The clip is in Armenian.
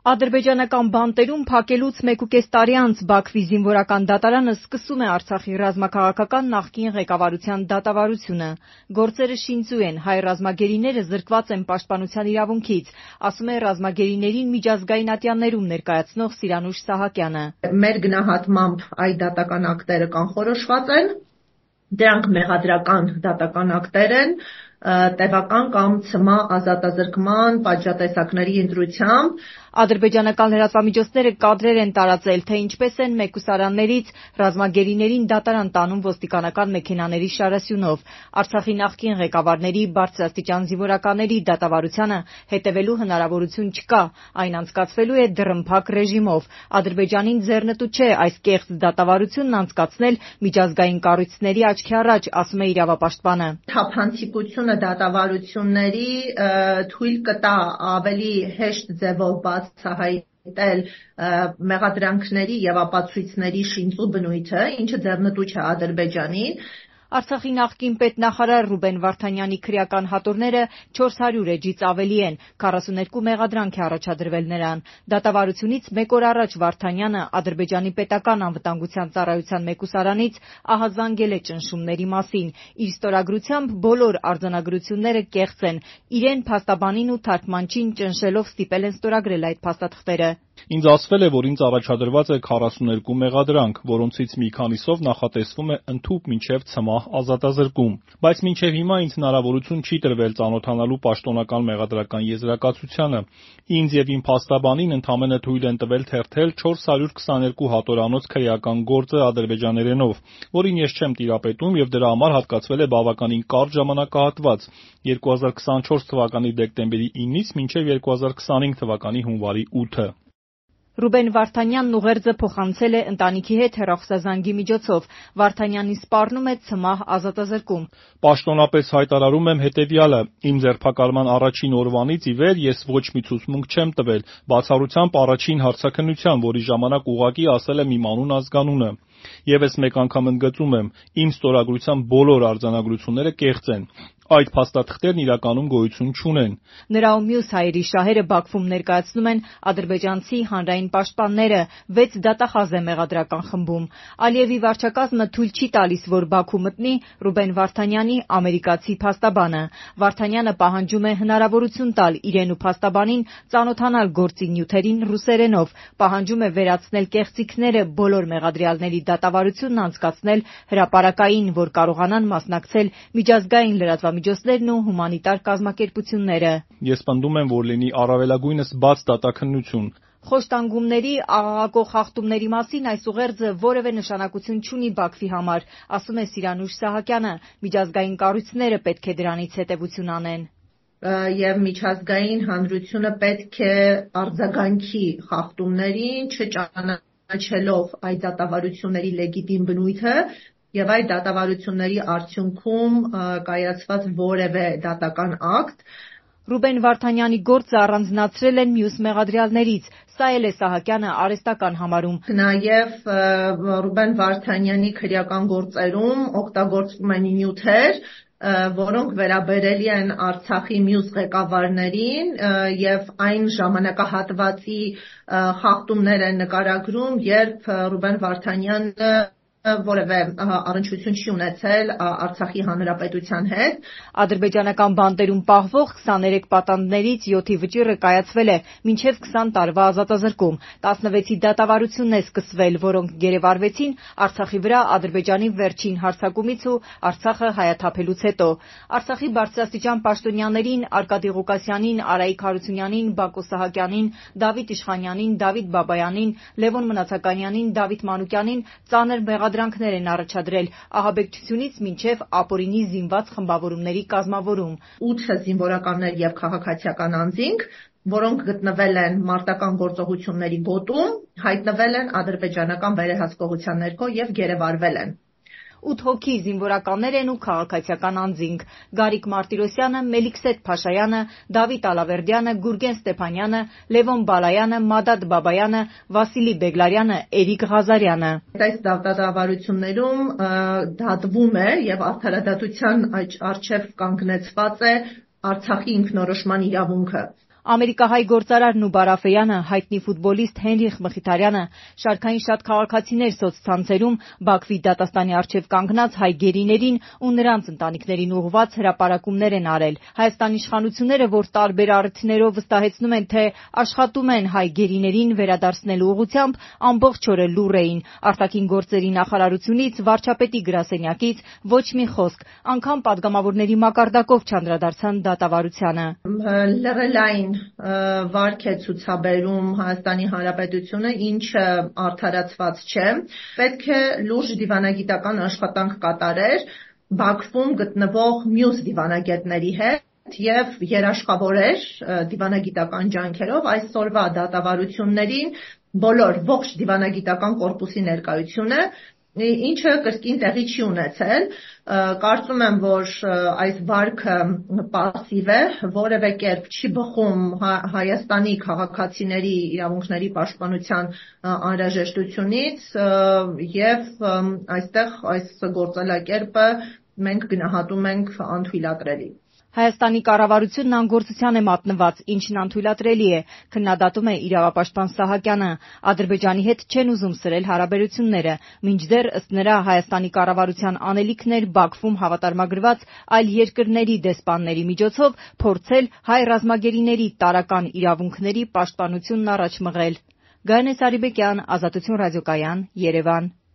Ադրբեջանական բանտերում փակելուց 1.5 տարի անց Բաքվի զինվորական դատարանը սկսում է Արցախի ռազմաքաղաքական նախկին ղեկավարության դատավարությունը։ Գործերը շինծու են, հայ ռազմագերիները զրկված են պաշտպանության իրավունքից, ասում է ռազմագերիներին միջազգային ատյաններում ներկայացնող Սիրանուշ Սահակյանը։ Մեր գնահատմամբ այդ դատական ակտերը կանխորոշված են, դրանք մեղադրական դատական ակտեր են, տևական կամ ցմահ ազատազրկման պատժատեսակների ընտրությամբ։ Ադրբեջանական լրատվամիջոցները կադրեր են տարածել, թե ինչպես են մեկուսարաններից ռազմագերիներին դատարան տանում ոստիկանական մեքենաների շարասյունով։ Արցախի նախկին ղեկավարների, բարձրաստիճան զինվորականների դատավարությանը հետևելու հնարավորություն չկա, այն անցկացվելու է դռնփակ ռեժիմով։ Ադրբեջանին ձեռնտու չէ այս կեղծ դատավարությունն անցկացնել միջազգային կառույցների աչքի առաջ, ասում է իրավապաշտպանը։ Թափանցիկությունը դատավարությունների թույլ կտա ավելի հեշտ ձևով բացահայտել մեղադրանքների եւ ապացույցների շինծու բնույթը, ինչը ձեռնտու չէ Ադրբեջանին։ Արցախի նախկին պետնախարար Ռուբեն Վարդանյանի քրեական հատորները 400 էջից ավելի են, 42 մեղադրանք է առաջադրվել նրան։ Դատավարությունից մեկ օր առաջ Վարդանյանը Ադրբեջանի պետական անվտանգության ծառայության մեկուսարանից ահազանգել է ճնշումների մասին։ Իր ստորագրությամբ բոլոր արձանագրությունները կեղծ են։ Իրեն փաստաբանին ու թարգմանչին ճնշելով ստիպել են ստորագրել այդ փաստաթղթերը։ Ինձ ասվել է, որ ինձ առաջադրված է 42 մեղադրանք, որոնցից մի քանիսով նախատեսվում է ընդհուպ մինչև ցմահ ազատազրկում, բայց մինչև հիմա ինձ հնարավորություն չի տրվել ծանոթանալու պաշտոնական մեղադրական եզրակացությանը։ Ինձ եւ իմ փաստաբանին ընդամենը թույլ են տվել թերթել 422 հատորանոց քրեական գործը ադրբեջաներենով, որին ես չեմ տիրապետում եւ դրա համար հատկացվել է բավականին կարճ ժամանակահատված՝ 2024 թվականի դեկտեմբերի 9-ից մինչև 2025 թվականի հունվարի 8-ը։ Ռուբեն Վարդանյանն ուղերձը փոխանցել է ընտանիքի հետ հեռախոսազանգի միջոցով։ Վարդանյանին սպառնում է ցմահ ազատազրկում։ Պաշտոնապես հայտարարում եմ հետևյալը. իմ ձերբակալման առաջին օրվանից ի վեր ես ոչ մի ցուցմունք չեմ տվել, բացառությամբ առաջին հարցաքննության, որի ժամանակ ուղղակի ասել եմ իմ անուն-ազգանունը։ Եվս մեկ անգամ ընդգծում եմ, իմ ստորագրության բոլոր արձանագրությունները կեղծ են։ Այդ փաստաթղթերն իրականում գոյություն չունեն։ Նրա ու մյուս հայերի շահերը Բաքվում ներկայացնում են ադրբեջանցի հանրային պաշտպանները, 6 դատախազ է մեղադրական խմբում։ Ալիևի վարչակազմը թույլ չի տալիս, որ Բաքու մտնի Ռուբեն Վարդանյանի ամերիկացի փաստաբանը։ Վարդանյանը պահանջում է հնարավորություն տալ իրեն ու փաստաբանին ծանոթանալ գործի նյութերին ռուսերենով, պահանջում է վերացնել կեղծիքները, բոլոր մեղադրյալների դատավարությունն անցկացնել հրապարակային, որ կարողանան մասնակցել միջազգային լրատվամիջոցներն ու հումանիտար կազմակերպությունները։ Ես պնդում եմ, որ լինի առավելագույնս բաց դատաքննություն։ Խոշտանգումների, աղաղակող խախտումների մասին այս ուղերձը որևէ նշանակություն չունի Բաքվի համար, ասում է Սիրանուշ Սահակյանը։ Միջազգային կառույցները պետք է դրանից հետևություն անեն։ Եվ միջազգային հանրությունը պետք է արձագանքի խախտումներին, չճանաչելով այդ դատավարությունների լեգիտիմ բնույթը եւ այդ դատավարությունների արդյունքում կայացված որևէ դատական ակտ։ Ռուբեն Վարդանյանի գործը առանձնացրել են մյուս մեղադրյալներից։ Սա էլ է Սահակյանը արհեստական համարում։ Նաև Ռուբեն Վարդանյանի քրեական գործերում օգտագործվում են նյութեր, որոնք վերաբերելի են Արցախի մյուս ղեկավարներին եւ այն ժամանակահատվածի խախտումներ են նկարագրում, երբ Ռուբեն Վարդանյանը որևէ առնչություն չի ունեցել Արցախի հանրապետության հետ։ Ադրբեջանական բանտերում պահվող 23 պատանդներից 7-ի վճիռը կայացվել է մինչև 20 տարվա ազատազրկում։ 16-ի դատավարությունն է սկսվել, որոնք գերեվարվեցին Արցախի վրա Ադրբեջանի վերջին հարձակումից ու Արցախը հայաթափելուց հետո։ Արցախի բարձրաստիճան պաշտոնյաներին Արկադի Ղուկասյանին, Արայիկ Հարությունյանին, Բակո Սահակյանին, Դավիթ Իշխանյանին, Դավիթ Բաբայանին, Լևոն Մնացականյանին, Դավիթ Մանուկյանին ծանր մեղադրանքներ են առաջադրել ահաբեկչությունից մինչև ապօրինի զինված խմբավորումների կազմավորում։ 8 զինվորականներ եւ քաղաքացիական անձինք, որոնք գտնվել են մարտական գործողությունների գոտում, հայտնվել են ադրբեջանական վերահսկողության ներքո եւ գերեվարվել են։ 8 հոգի զինվորականներ են ու քաղաքացիական անձինք՝ Գարիկ Մարտիրոսյանը, Մելիքսեթ Փաշայանը, Դավիթ Ալավերդյանը, Գուրգեն Ստեփանյանը, Լևոն Բալայանը, Մադադ Բաբայանը, Վասիլի Բեգլարյանը, Էրիկ Ղազարյանը։ Այս դատավարություններում դատվում է եւ արդարադատության առջեւ կանգնեցված է Արցախի ինքնորոշման իրավունքը։ Ամերիկահայ գործարար Նուբար Աֆեյանը, հայտնի ֆուտբոլիստ Հենրիխ Մխիթարյանը, շարքային շատ քաղաքացիներ սոցցանցերում Բաքվի դատաստանի առջև կանգնած հայ գերիներին ու նրանց ընտանիքներին ուղղված հրապարակումներ են արել։ Հայաստանի իշխանությունները, որ տարբեր առիթներով վստահեցնում են, թե աշխատում են հայ գերիներին վերադարձնելու ուղղությամբ, ամբողջ օրը լուռ էին։ Արտաքին գործերի նախարարությունից, վարչապետի գրասենյակից ոչ մի խոսք, անգամ պատգամավորների մակարդակով չանդրադարձան դատավարությանը։ Լրելային վարք է ցուցաբերում Հայաստանի Հանրապետությունը, ինչը արդարացված չէ։ Պետք է լուրջ դիվանագիտական աշխատանք կատարեր Բաքվում գտնվող մյուս դիվանագետների հետ եւ երաշխավորեր դիվանագիտական ջանքերով այսօրվա դատավարություններին ողջ դիվանագիտական կորպուսի ներկայությունը, ինչը կրկին տեղի չի ունեցել։ Կարծում եմ, որ այս վարքը պասիվ է, որևէ կերպ չի բխում Հայաստանի քաղաքացիների իրավունքների պաշտպանության անհրաժեշտությունից եւ այստեղ այս գործելակերպը մենք գնահատում ենք անթույլատրելի։ Հայաստանի կառավարությունն անգործության է մատնված, ինչն անթույլատրելի է, քննադատում է իրավապաշտպան Սահակյանը։ Ադրբեջանի հետ չեն ուզում սրել հարաբերությունները, մինչդեռ ըստ նրա Հայաստանի կառավարության անելիքն էր Բաքվում հավատարմագրված այլ երկրների դեսպանների միջոցով փորձել հայ ռազմագերիների տարրական իրավունքների պաշտպանությունն առաջ մղել։ Գայանե Սարիբեկյան, Ազատություն ռադիոկայան, Երևան։